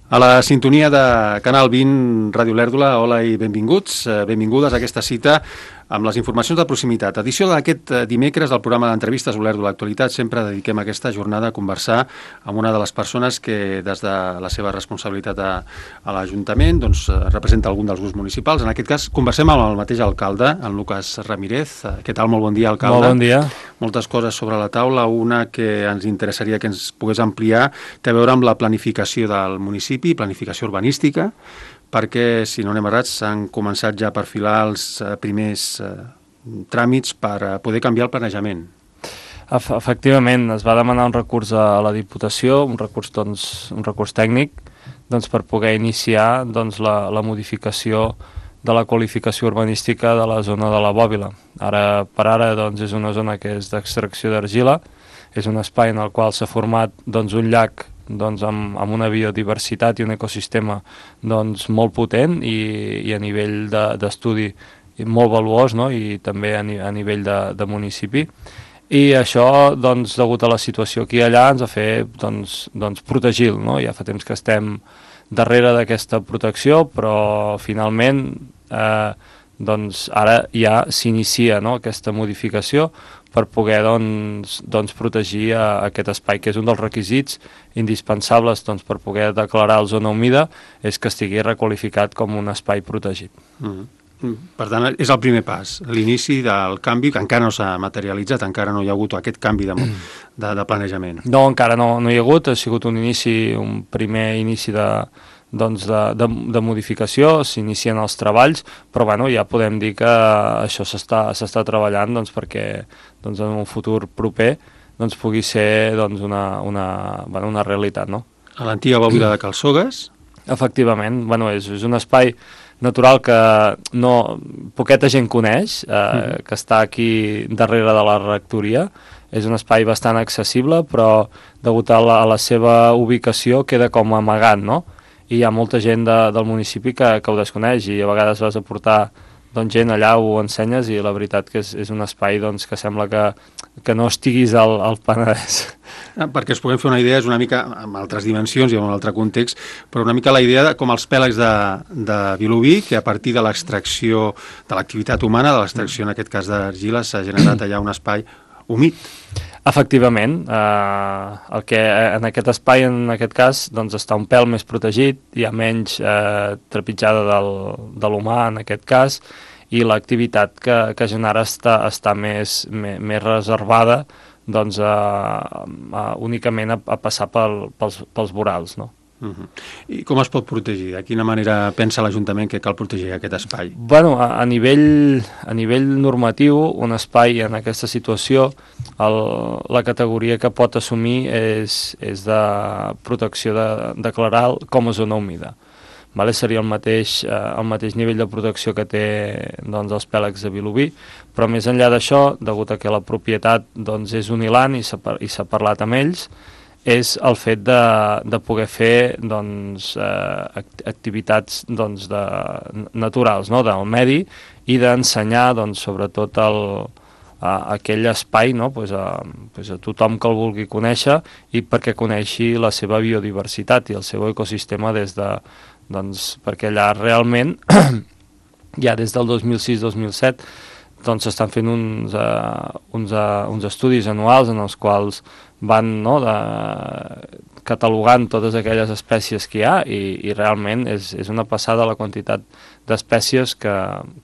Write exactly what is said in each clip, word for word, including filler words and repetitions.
A la sintonia de Canal vint, Ràdio Lèrdula, hola i benvinguts, benvingudes a aquesta cita amb les informacions de proximitat. Edició d'aquest dimecres del programa d'entrevistes Olèrdula Actualitat. Sempre dediquem aquesta jornada a conversar amb una de les persones que des de la seva responsabilitat a, a l'Ajuntament doncs, representa algun dels grups municipals. En aquest cas conversem amb el mateix alcalde, en Lucas Ramírez. Què tal? Molt bon dia, alcalde. Molt bon dia. Moltes coses sobre la taula. Una que ens interessaria que ens pogués ampliar té a veure amb la planificació del municipi, planificació urbanística, perquè, si no anem errats, s'han començat ja a perfilar els primers eh, tràmits per poder canviar el planejament. Efectivament, es va demanar un recurs a la Diputació, un recurs, doncs, un recurs tècnic, doncs, per poder iniciar doncs, la, la modificació de la qualificació urbanística de la zona de la Bòbila. Ara per ara doncs, és una zona que és d'extracció d'argila, és un espai en el qual s'ha format doncs, un llac doncs, amb, amb una biodiversitat i un ecosistema doncs, molt potent i, i a nivell d'estudi de, molt valuós, no? I també a, ni, a nivell de, de municipi. I això, doncs, degut a la situació aquí i allà, ens ha fet doncs, doncs, protegir-lo. No? Ja fa temps que estem darrere d'aquesta protecció, però finalment eh, doncs, ara ja s'inicia, no? Aquesta modificació per poder doncs, doncs, protegir a, a aquest espai, que és un dels requisits indispensables doncs, per poder declarar la zona humida, és que estigui requalificat com un espai protegit. Mm. Per tant, és el primer pas, l'inici del canvi, que encara no s'ha materialitzat, encara no hi ha hagut aquest canvi de, de, de planejament. No, encara no, no hi ha hagut, ha sigut un inici, un primer inici de, doncs de, de, de modificació, s'inicien els treballs, però bueno, ja podem dir que això s'està s'està treballant doncs, perquè doncs, en un futur proper doncs, pugui ser doncs, una, una, bueno, una realitat. No? A l'antiga Bòbila de Calçogues? Efectivament, bueno, és, és un espai natural que no, poqueta gent coneix, eh, mm. que està aquí darrere de la rectoria. És un espai bastant accessible, però degut a la, a la seva ubicació queda com amagat, no? I hi ha molta gent de, del municipi que, que ho desconeix i a vegades vas a portar doncs, gent allà, ho ensenyes i la veritat que és, és un espai doncs, que sembla que, que no estiguis al, al Penedès. Ah, perquè es puguem fer una idea, és una mica amb altres dimensions i en un altre context, però una mica la idea de, com els pèlegs de, de Vilobí, que a partir de l'extracció de l'activitat humana, de l'extracció en aquest cas d'argila, s'ha generat allà un espai humit. Efectivament, eh, el que en aquest espai, en aquest cas, doncs està un pèl més protegit, hi ha menys eh, trepitjada del, de l'humà en aquest cas, i l'activitat que, que genera està, està més, més, més reservada doncs, a, a, únicament a, a passar pel, pels, pels vorals, no? Uh-huh. I com es pot protegir? De quina manera pensa l'Ajuntament que cal protegir aquest espai? Bueno, a, a, nivell, a nivell normatiu, un espai en aquesta situació, el, la categoria que pot assumir és, és de protecció de, declarar com a zona humida. Vale? Seria el mateix, eh, el mateix nivell de protecció que té doncs, els pèlegs de Vilobí, però més enllà d'això, degut a que la propietat doncs, és un ilant i s'ha parlat amb ells, és el fet de, de poder fer doncs, eh, activitats doncs, de, naturals, no? Del medi, i d'ensenyar doncs, sobretot el, a, aquell espai, no? pues a, pues a tothom que el vulgui conèixer i perquè coneixi la seva biodiversitat i el seu ecosistema des de, doncs, perquè allà realment ja des del dos mil sis dos mil set doncs s'estan fent uns, uh, uns, uh, uns estudis anuals en els quals van no, de, catalogant totes aquelles espècies que hi ha i, i realment és, és una passada la quantitat d'espècies que,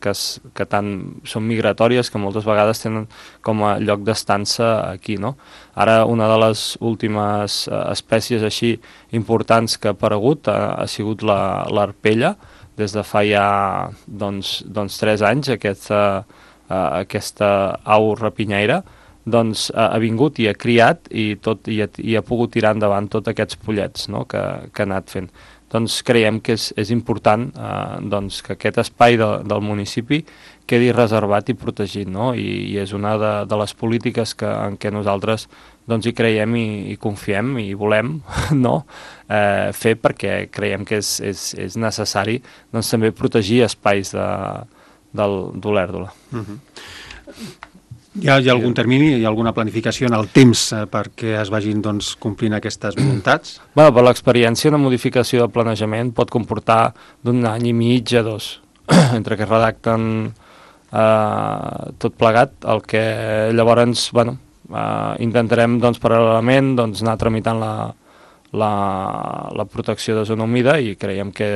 que, que tant són migratòries que moltes vegades tenen com a lloc d'estança aquí. No? Ara una de les últimes uh, espècies així importants que ha aparegut ha, ha sigut la, l'arpella, des de fa ja doncs, doncs, tres anys aquesta Uh, aquesta au rapinyaire doncs, uh, ha vingut i ha criat i, tot, i, ha, i ha pogut tirar endavant tots aquests pollets no? que, que ha anat fent. Doncs creiem que és, és important uh, doncs, que aquest espai de, del municipi quedi reservat i protegit, no? I, i és una de, de les polítiques que, en què nosaltres doncs, hi creiem i, i confiem i volem no? eh, fer perquè creiem que és, és, és necessari doncs, també protegir espais de d'Olèrdula. Uh-huh. Hi ha, hi ha algun termini, hi ha alguna planificació en el temps eh, perquè es vagin doncs, complint aquestes voluntats? Bé, per l'experiència, una modificació de planejament pot comportar d'un any i mig a dos, entre que redacten eh, tot plegat, el que llavors, bueno, eh, intentarem doncs, paral·lelament doncs, anar tramitant la, la, la protecció de zona humida i creiem que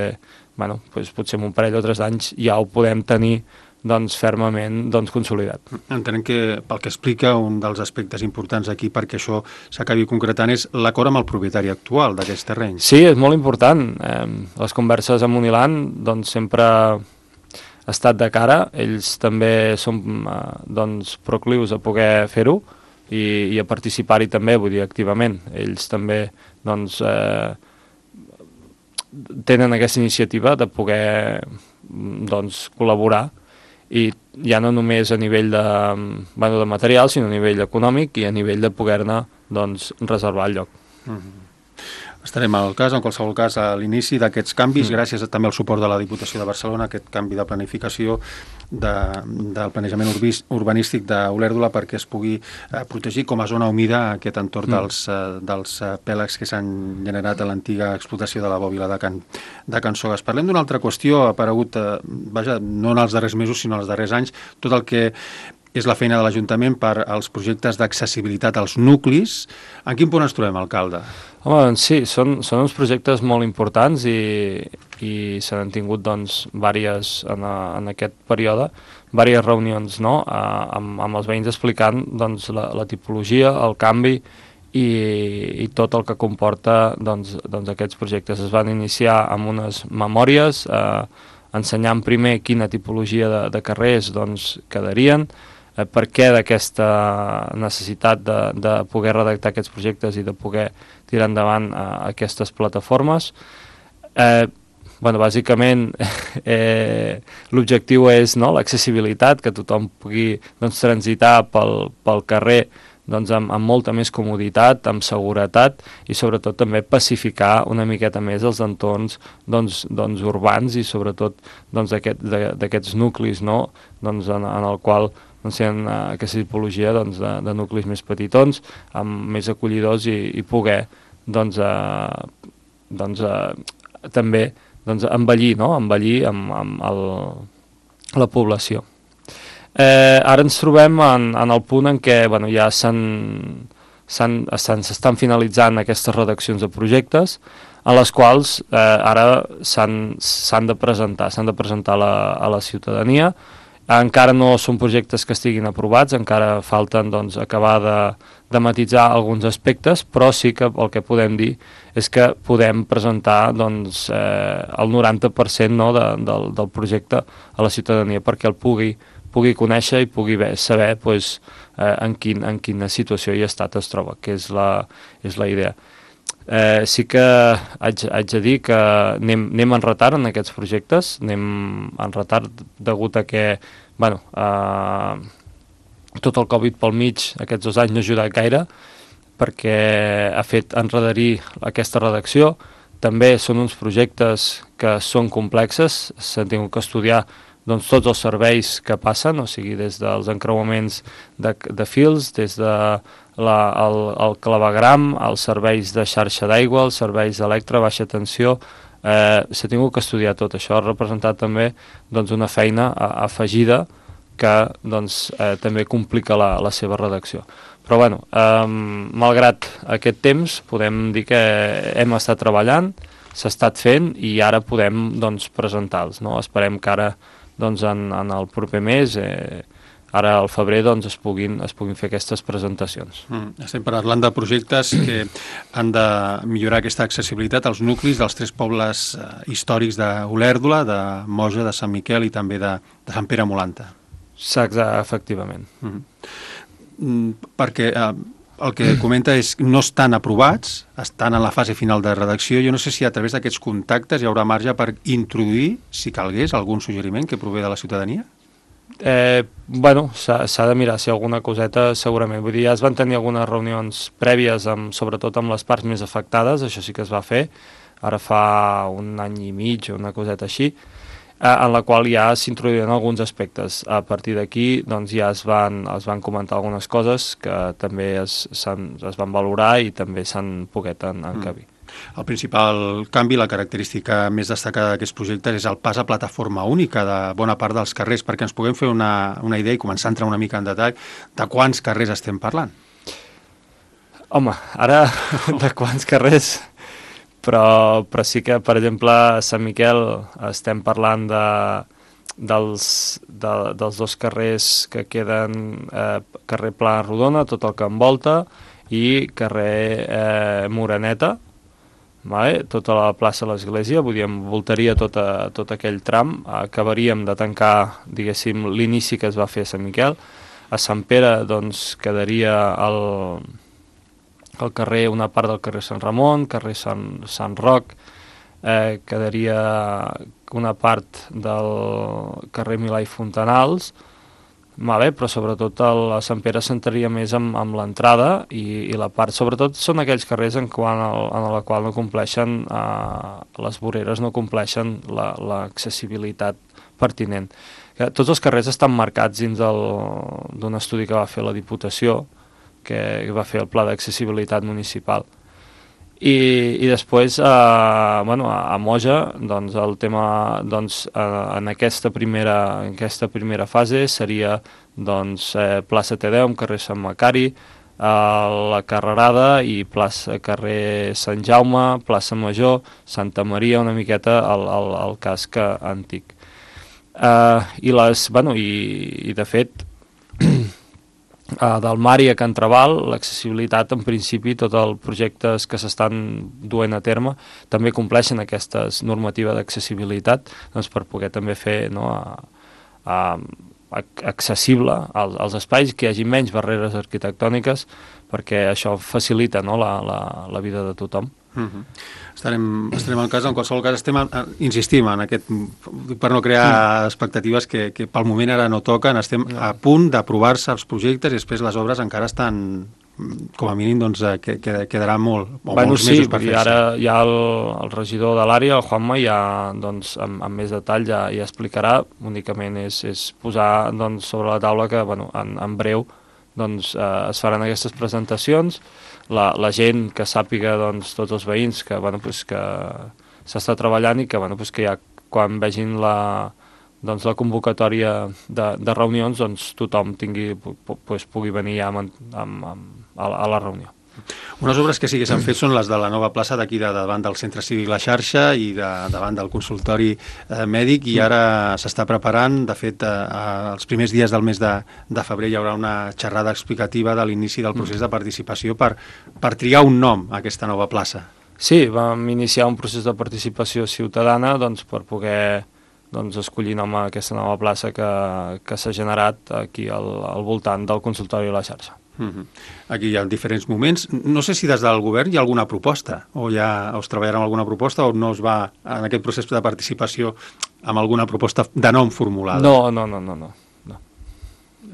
bueno, doncs, potser en un parell o tres anys ja ho podem tenir doncs, fermament doncs, consolidat. Entenem que, pel que explica, un dels aspectes importants aquí perquè això s'acabi concretant és l'acord amb el propietari actual d'aquests terrenys. Sí, és molt important. Eh, les converses amb Unilan doncs, sempre ha estat de cara. Ells també són eh, doncs, proclius a poder fer-ho i, i a participar-hi també, vull dir, activament. Ells també doncs, eh, tenen aquesta iniciativa de poder doncs, col·laborar i ja no només a nivell de, bueno, de material, sinó a nivell econòmic i a nivell de poder-ne doncs, reservar el lloc. Mm-hmm. Estarem al cas, en qualsevol cas, a l'inici d'aquests canvis, mm. gràcies també al suport de la Diputació de Barcelona, aquest canvi de planificació de, del planejament urbis, urbanístic d'Olèrdola perquè es pugui eh, protegir com a zona humida aquest entorn mm. dels, eh, dels eh, pèlags que s'han generat a l'antiga explotació de la bòbila de Can, de Can Sogues. Parlem d'una altra qüestió, ha aparegut, eh, vaja, no en els darrers mesos, sinó en els darrers anys, tot el que és la feina de l'Ajuntament per als projectes d'accessibilitat als nuclis. En quin punt ens trobem, alcalde? Home, doncs sí, són, són uns projectes molt importants i, i se n'han tingut doncs, diverses en, a, en aquest període, diverses reunions no? a, amb, amb els veïns explicant doncs, la, la tipologia, el canvi i, i tot el que comporta doncs, doncs, aquests projectes. Es van iniciar amb unes memòries, eh, ensenyant primer quina tipologia de, de carrers doncs, quedarien, eh, per què d'aquesta necessitat de, de poder redactar aquests projectes i de poder tirar endavant eh, aquestes plataformes. Eh, bueno, bàsicament eh, l'objectiu és no, l'accessibilitat, que tothom pugui doncs, transitar pel, pel carrer doncs, amb, amb molta més comoditat, amb seguretat i sobretot també pacificar una miqueta més els entorns doncs, doncs, urbans i sobretot doncs, d'aquests aquest, nuclis no? doncs, en, en el qual doncs, hi ha aquesta tipologia doncs, de, de nuclis més petitons, amb més acollidors i, i poder doncs, eh, doncs, eh, també doncs, envellir, no? envellir amb, amb el, la població. Eh, ara ens trobem en, en el punt en què bueno, ja s'estan finalitzant aquestes redaccions de projectes en les quals eh, ara s'han de presentar, s'han de presentar a la, a la ciutadania. Encara no són projectes que estiguin aprovats, encara falten doncs, acabar de, de matitzar alguns aspectes, però sí que el que podem dir és que podem presentar doncs, eh, el noranta per cent no, de, del, del projecte a la ciutadania perquè el pugui pugui conèixer i pugui saber pues, eh, en, quin, en quina situació i estat es troba, que és la, és la idea. Eh, sí que haig, haig de dir que anem, anem en retard en aquests projectes, anem en retard degut a que bueno, eh, tot el Covid pel mig aquests dos anys no ha ajudat gaire perquè ha fet enredarir aquesta redacció. També són uns projectes que són complexes, s'han tingut que estudiar doncs, tots els serveis que passen, o sigui, des dels encreuaments de, de fils, des de la, el, el clavegram, els serveis de xarxa d'aigua, els serveis d'electre, baixa tensió, eh, s'ha tingut que estudiar tot això, ha representat també doncs, una feina afegida que doncs, eh, també complica la, la seva redacció. Però bueno, eh, malgrat aquest temps, podem dir que hem estat treballant, s'ha estat fent i ara podem doncs, presentar-los. No? Esperem que ara doncs en, en el proper mes, eh, ara al febrer, doncs es puguin, es puguin fer aquestes presentacions. Mm, estem parlant de projectes que han de millorar aquesta accessibilitat als nuclis dels tres pobles eh, històrics d'Olèrdola, de Moja, de Sant Miquel i també de, de Sant Pere Molanta. Exacte, efectivament. Mm. Mm, perquè eh, el que comenta és que no estan aprovats, estan en la fase final de redacció. Jo no sé si a través d'aquests contactes hi haurà marge per introduir, si calgués, algun suggeriment que prové de la ciutadania? Eh, bueno, s'ha de mirar si alguna coseta segurament. Vull dir, ja es van tenir algunes reunions prèvies, amb, sobretot amb les parts més afectades, això sí que es va fer, ara fa un any i mig o una coseta així. en la qual ja s'introduïen alguns aspectes. A partir d'aquí doncs, ja es van, es van comentar algunes coses que també es, es van valorar i també s'han poguet encabir. Mm. El principal canvi, la característica més destacada d'aquests projectes és el pas a plataforma única de bona part dels carrers, perquè ens puguem fer una, una idea i començar a entrar una mica en detall de quants carrers estem parlant. Home, ara de quants carrers... Però, però sí que, per exemple, a Sant Miquel estem parlant de, dels, de, dels dos carrers que queden, eh, carrer Pla Rodona, tot el que envolta, i carrer eh, Moreneta, vale? Tota la plaça de l'Església, vull dir, envoltaria tot, a, tot aquell tram, acabaríem de tancar, diguéssim, l'inici que es va fer a Sant Miquel. A Sant Pere, doncs, quedaria el... el carrer, una part del carrer Sant Ramon, carrer Sant, Sant Roc, eh, quedaria una part del carrer Milà i Fontanals, vale, però sobretot el, a Sant Pere s'entraria més amb, amb l'entrada i, i la part, sobretot són aquells carrers en, quan el, en la qual no compleixen, eh, les voreres no compleixen l'accessibilitat pertinent. Tots els carrers estan marcats dins d'un estudi que va fer la Diputació, que va fer el Pla d'Accessibilitat Municipal. I, i després, eh, bueno, a Moja, doncs, el tema, doncs, eh, en, aquesta primera, en aquesta primera fase seria doncs, eh, plaça Tedeum, carrer Sant Macari, eh, la Carrerada i plaça, carrer Sant Jaume, plaça Major, Santa Maria, una miqueta el, el, el casc antic. Eh, i, les, bueno, i, i de fet, Uh, del Mari a Can Trabal, l'accessibilitat, en principi, tots els projectes que s'estan duent a terme també compleixen aquestes normatives d'accessibilitat, doncs, per poder també fer, no, a, a, accessible als, als espais, que hi hagi menys barreres arquitectòniques, perquè això facilita, no, la, la, la vida de tothom. Uh-huh. Estarem, estarem en cas, en qualsevol cas estem, insistim en aquest, per no crear mm. expectatives que, que pel moment ara no toquen, estem no. a punt d'aprovar-se els projectes i després les obres encara estan, com a mínim, doncs, que, que quedarà molt, o bueno, molts sí, mesos per fer-se. Ara ja el, el regidor de l'àrea, el Juanma, ja, doncs, amb, amb més detall ja, ja explicarà, únicament és, és posar, doncs, sobre la taula que, bueno, en, en breu, doncs, eh, es faran aquestes presentacions. La, la gent que sàpiga, doncs, tots els veïns que, bueno, pues, que s'està treballant i que, bueno, pues, que ja quan vegin la, doncs, la convocatòria de, de reunions, doncs, tothom tingui, pues, pugui venir ja amb, amb, amb, a, la, a la reunió. Unes obres que sí que s'han fet són les de la nova plaça d'aquí de, davant del Centre Cívic La Xarxa i de, davant del consultori eh, mèdic, i ara s'està preparant, de fet, eh, els primers dies del mes de, de febrer hi haurà una xerrada explicativa de l'inici del procés de participació per, per triar un nom a aquesta nova plaça. Sí, vam iniciar un procés de participació ciutadana, doncs, per poder, doncs, escollir nom a aquesta nova plaça que, que s'ha generat aquí al, al voltant del consultori La Xarxa. Uh-huh. Aquí hi ha diferents moments. No sé si des del govern hi ha alguna proposta, o ja us treballarà amb alguna proposta, o no es va en aquest procés de participació amb alguna proposta de nom formulada? No, no, no, no, no. no.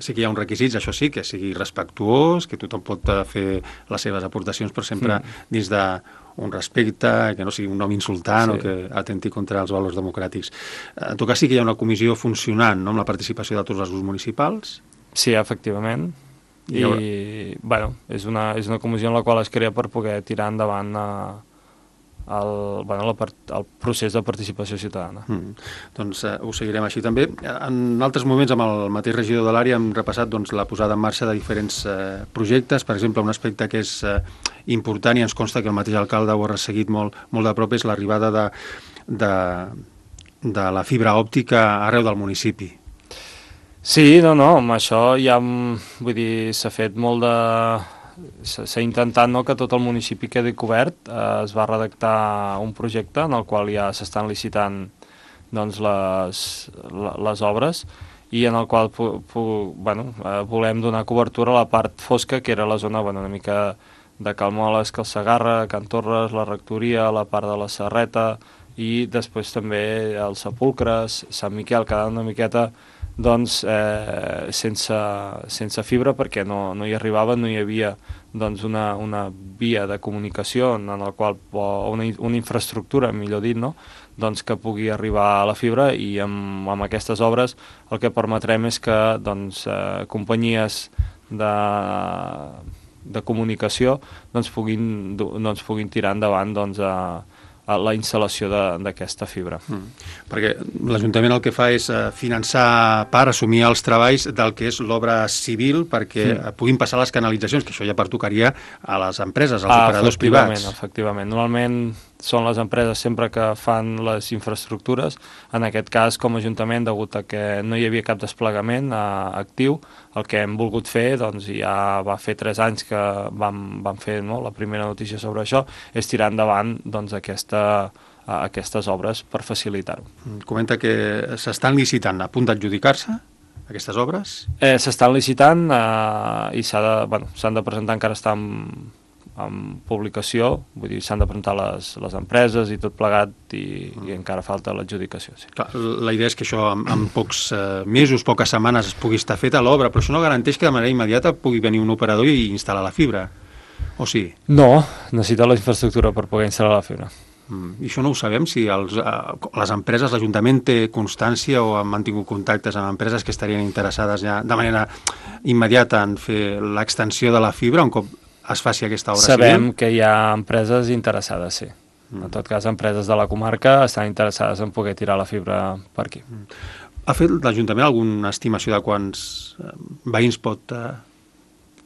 Sí que hi ha uns requisits, això sí, que sigui respectuós, que tothom pot fer les seves aportacions, però sempre mm. dins d'un respecte, que no sigui un nom insultant sí. o que atenti contra els valors democràtics. En tot cas, sí que hi ha una comissió funcionant, no?, amb la participació de tots els grups municipals. Sí, efectivament. I, I bueno, és una, és una comissió en la qual es crea per poder tirar endavant a, el, bueno, la part, el procés de participació ciutadana. Mm. Doncs eh, ho seguirem així també. En altres moments, amb el mateix regidor de l'àrea, hem repassat, doncs, la posada en marxa de diferents eh, projectes. Per exemple, un aspecte que és eh, important i ens consta que el mateix alcalde ho ha resseguit molt, molt de prop és l'arribada de, de, de la fibra òptica arreu del municipi. Sí, no, no, amb això ja, vull dir, s'ha fet molt de... S'ha intentat, no, que tot el municipi quedi cobert. Eh, es va redactar un projecte en el qual ja s'estan licitant, doncs, les, les obres i en el qual pu, pu, bueno, eh, volem donar cobertura a la part fosca, que era la zona, bueno, una mica de Calmoles, Cal Segarra, Can Torres, la rectoria, la part de la Serreta i després també els sepulcres, Sant Miquel, quedant una miqueta doncs, eh, sense, sense fibra, perquè no, no hi arribava, no hi havia doncs, una, una via de comunicació en la qual, o una, una infraestructura, millor dit, no? Doncs, que pugui arribar a la fibra, i amb, amb aquestes obres el que permetrem és que doncs, eh, companyies de, de comunicació doncs, puguin, doncs, puguin tirar endavant doncs, a, a la instal·lació d'aquesta fibra. Mm. Perquè l'Ajuntament el que fa és uh, finançar per assumir els treballs del que és l'obra civil perquè mm. puguin passar les canalitzacions, que això ja pertocaria a les empreses, als ah, operadors privats. Efectivament, normalment són les empreses sempre que fan les infraestructures. En aquest cas, com a Ajuntament, degut a que no hi havia cap desplegament eh, actiu, el que hem volgut fer, doncs ja va fer tres anys que vam, vam fer no, la primera notícia sobre això, és tirar endavant doncs, aquesta, a aquestes obres per facilitar-ho. Comenta que s'estan licitant, a punt d'adjudicar-se aquestes obres? Eh, s'estan licitant eh, i s'ha de, bueno, s'han de presentar, encara està en, en publicació, vull dir, s'han de presentar les, les empreses i tot plegat, i, mm. i encara falta l'adjudicació. Sí. Clar, la idea és que això en, en pocs eh, mesos, poques setmanes es pugui estar feta l'obra, però això no garanteix que de manera immediata pugui venir un operador i instal·lar la fibra, o sí? No, necessita la infraestructura per poder instal·lar la fibra. I això no ho sabem, si els, eh, les empreses, l'Ajuntament té constància o han mantingut contactes amb empreses que estarien interessades ja de manera immediata en fer l'extensió de la fibra un cop es faci aquesta obra Sabem civil? Sabem que hi ha empreses interessades, sí. Mm. En tot cas, empreses de la comarca estan interessades en poder tirar la fibra per aquí. Mm. Ha fet l'Ajuntament alguna estimació de quants veïns pot... Eh,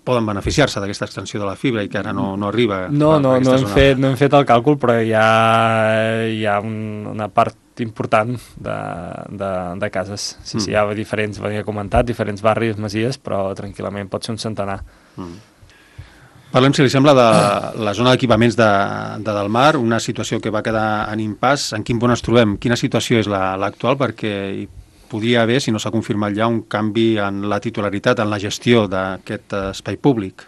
poden beneficiar-se d'aquesta extensió de la fibra i que ara no, no arriba? No, no, no, hem fet, no hem fet el càlcul, però hi ha, hi ha un, una part important de, de, de cases. Sí, mm. sí, hi ha diferents, venia comentat, diferents barris, masies, però tranquil·lament pot ser un centenar. Mm. Parlem, si li sembla, de la zona d'equipaments de, de Delmar, una situació que va quedar en impàs. En quin punt ens trobem? Quina situació és l'actual? Perquè hi podia haver, si no s'ha confirmat ja, un canvi en la titularitat, en la gestió d'aquest espai públic.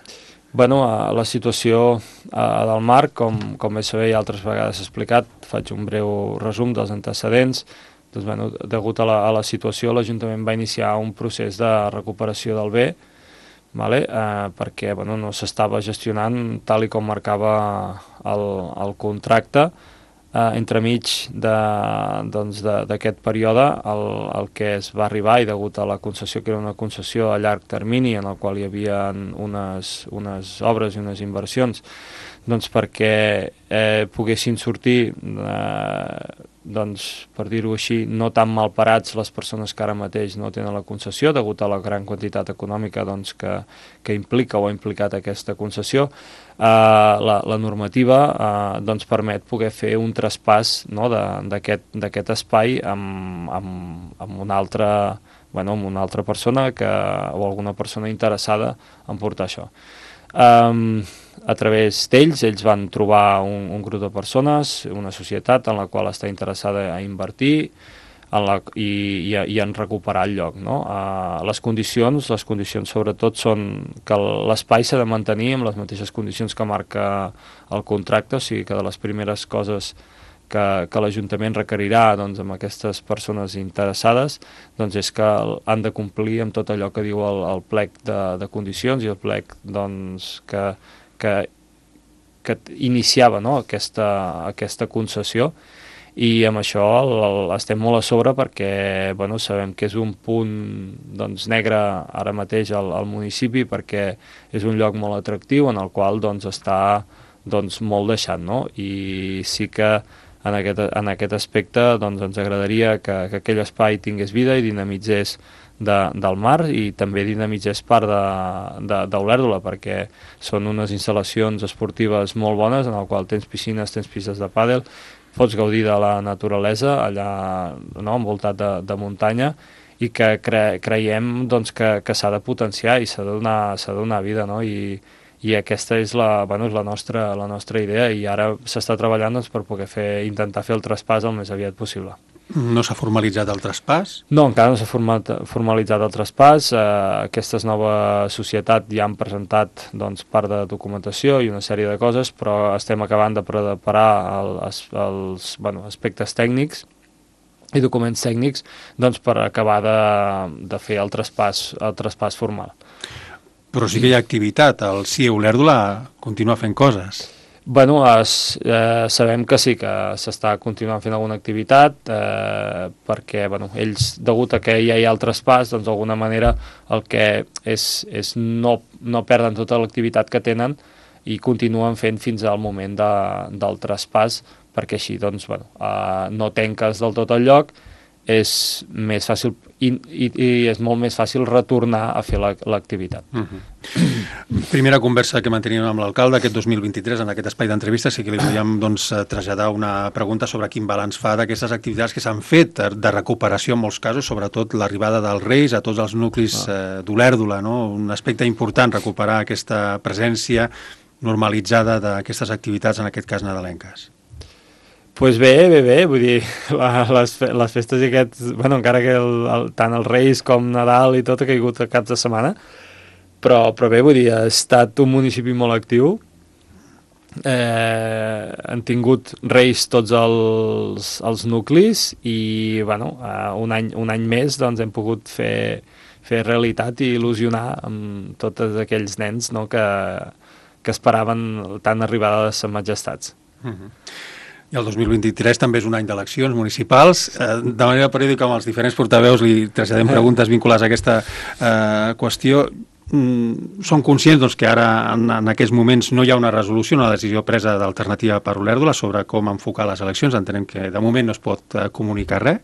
Bueno, la situació a Delmar, com, com bé sabeu i altres vegades explicat, faig un breu resum dels antecedents. Doncs, bueno, degut a la, a la situació, l'Ajuntament va iniciar un procés de recuperació del bé, vale? eh, perquè bueno, no s'estava gestionant tal i com marcava el, el contracte. Uh, entremig d'aquest doncs període el, el que es va arribar, i degut a la concessió, que era una concessió a llarg termini en el qual hi havia unes, unes obres i unes inversions, doncs perquè eh, poguessin sortir eh, doncs, per dir-ho així, no tan mal parats les persones que ara mateix no tenen la concessió, degut a la gran quantitat econòmica doncs, que, que implica o ha implicat aquesta concessió. Uh, la, la normativa uh, doncs permet poder fer un traspàs no, d'aquest espai amb, amb, amb, una altra, bueno, amb una altra persona que, o alguna persona interessada en portar això. Um, a través d'ells, ells van trobar un, un grup de persones, una societat en la qual està interessada a invertir en la, i, i, i en recuperar el lloc. No? Uh, les condicions, les condicions sobretot són que l'espai s'ha de mantenir amb les mateixes condicions que marca el contracte, o sigui que de les primeres coses que, que l'Ajuntament requerirà doncs, amb aquestes persones interessades doncs, és que han de complir amb tot allò que diu el, el plec de, de condicions i el plec doncs, que, que, que iniciava no? aquesta, aquesta concessió. I amb això el, el, estem molt a sobre perquè bueno, sabem que és un punt doncs, negre ara mateix al, al municipi, perquè és un lloc molt atractiu en el qual doncs, està doncs, molt deixat. No? I sí que en aquest, en aquest aspecte doncs, ens agradaria que, que aquell espai tingués vida i dinamitzés de, del mar i també dinamitzés part d'Olèrdola, perquè són unes instal·lacions esportives molt bones en el qual tens piscines, tens pistes de pàdel, pots gaudir de la naturalesa allà no, envoltat de, de muntanya i que cre, creiem doncs, que, que s'ha de potenciar i s'ha de donar, s'ha de donar vida, no? I, i aquesta és la, bueno, és la, nostra, la nostra idea i ara s'està treballant doncs, per poder fer, intentar fer el traspàs el més aviat possible. No s'ha formalitzat el traspàs? No, encara no s'ha formalitzat el traspàs. Eh, aquesta nova societat ja han presentat doncs, part de documentació i una sèrie de coses, però estem acabant de preparar el, els, els bueno, aspectes tècnics i documents tècnics doncs, per acabar de, de fer el traspàs, el traspàs formal. Però sí que hi ha activitat, el C I E Olèrdola continua fent coses. Bueno, es, eh, sabem que sí, que s'està continuant fent alguna activitat, eh, perquè bueno, ells, degut a que ja hi ha el traspàs, doncs d'alguna manera el que és, és no, no perden tota l'activitat que tenen i continuen fent fins al moment de, del traspàs, perquè així doncs, bueno, eh, no tanques del tot el lloc, és més fàcil i, i, i és molt més fàcil retornar a fer l'activitat. Uh-huh. Primera conversa que manteníem amb l'alcalde aquest dos mil vint-i-tres en aquest espai d'entrevistes, sí que li volíem doncs, traslladar una pregunta sobre quin balanç fa d'aquestes activitats que s'han fet de recuperació en molts casos, sobretot l'arribada dels Reis a tots els nuclis ah. eh, d'Olèrdola, no? Un aspecte important, recuperar aquesta presència normalitzada d'aquestes activitats, en aquest cas nadalenques. Pues bé, bé, bé, vull dir, la, les, les festes i aquests, bueno, encara que el, el, tant els Reis com Nadal i tot ha caigut a caps de setmana, però, però bé, vull dir, ha estat un municipi molt actiu, eh, han tingut Reis tots els, els nuclis i, bueno, un any, un any més, doncs, hem pogut fer, fer realitat i il·lusionar amb tots aquells nens, no?, que, que esperaven tant arribada de les majestats. Uh-huh. I el dos mil vint-i-tres també és un any d'eleccions municipals. Eh, de manera periòdica, amb els diferents portaveus li traslladem preguntes vinculades a aquesta eh, qüestió. Mm, som conscients doncs, que ara, en, en aquests moments, no hi ha una resolució, una decisió presa d'Alternativa per Olèrdola sobre com enfocar les eleccions. Entenem que de moment no es pot eh, comunicar res.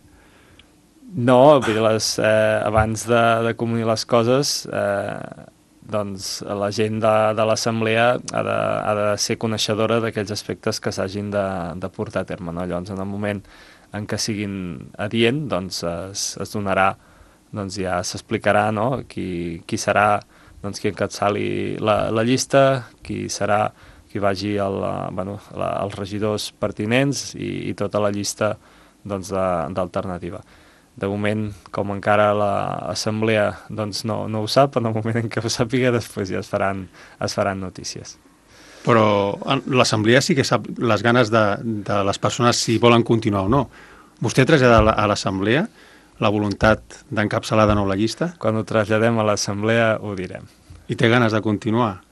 No, vull dir, les, eh, abans de, de comunicar les coses... Eh, doncs la gent de, de l'assemblea ha de, ha de ser coneixedora d'aquells aspectes que s'hagin de, de portar a terme. No? Llavors, en el moment en què siguin adient, doncs es, es donarà, doncs ja s'explicarà, no? qui, qui serà doncs, qui encapçali la, la llista, qui serà qui vagi el, bueno, la, els regidors pertinents i, i tota la llista doncs, d'alternativa. De moment, com encara l'assemblea doncs no, no ho sap, en el moment en què ho sàpiga, després ja es faran, es faran notícies. Però l'assemblea sí que sap les ganes de, de les persones si volen continuar o no. Vostè trasllada a l'assemblea la voluntat d'encapçalar de nou la llista? Quan ho traslladem a l'assemblea ho direm. I té ganes de continuar?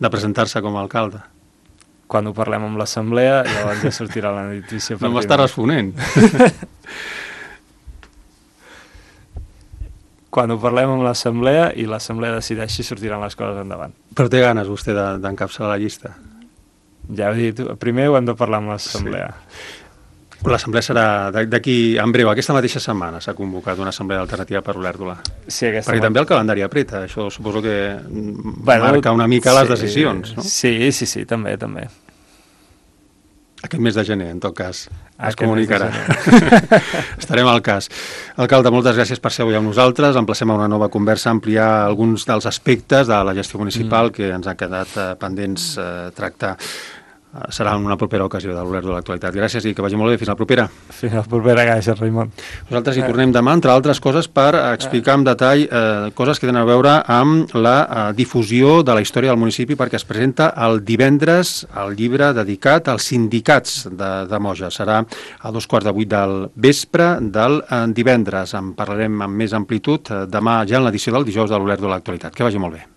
De presentar-se com a alcalde? Quan ho parlem amb l'assemblea, llavors ja sortirà la notícia. No m'està responent. Quan ho parlem amb l'assemblea i l'assemblea decideixi, sortiran les coses endavant. Però té ganes vostè d'encapçalar la llista? Ja ho he dit, primer ho hem de parlar amb l'assemblea. Sí. L'assemblea serà d'aquí en breu. Aquesta mateixa setmana s'ha convocat una assemblea d'alternativa per Olèrdola. Sí, aquesta Perquè man... també el calendari apreta, això suposo que bueno, marca una mica sí, les decisions, no? Sí, sí, sí, també, també. Aquest mes de gener, en tot cas, es Aquest comunicarà. Estarem al cas. Alcalde, moltes gràcies per ser avui amb nosaltres. Emplacem a una nova conversa, ampliar alguns dels aspectes de la gestió municipal mm. que ens han quedat eh, pendents eh, tractar. Serà en una propera ocasió de l'Olèrdola de l'actualitat. Gràcies i que vagi molt bé. Fins la propera. Fins la propera, gràcies, Raimon. Nosaltres hi tornem demà, entre altres coses, per explicar en detall eh, coses que tenen a veure amb la eh, difusió de la història del municipi, perquè es presenta el divendres el llibre dedicat als sindicats de, de Moja. Serà a dos quarts de vuit del vespre del eh, divendres. En parlarem amb més amplitud eh, demà ja en l'edició del dijous de l'Olèrdola de l'actualitat. Que vagi molt bé.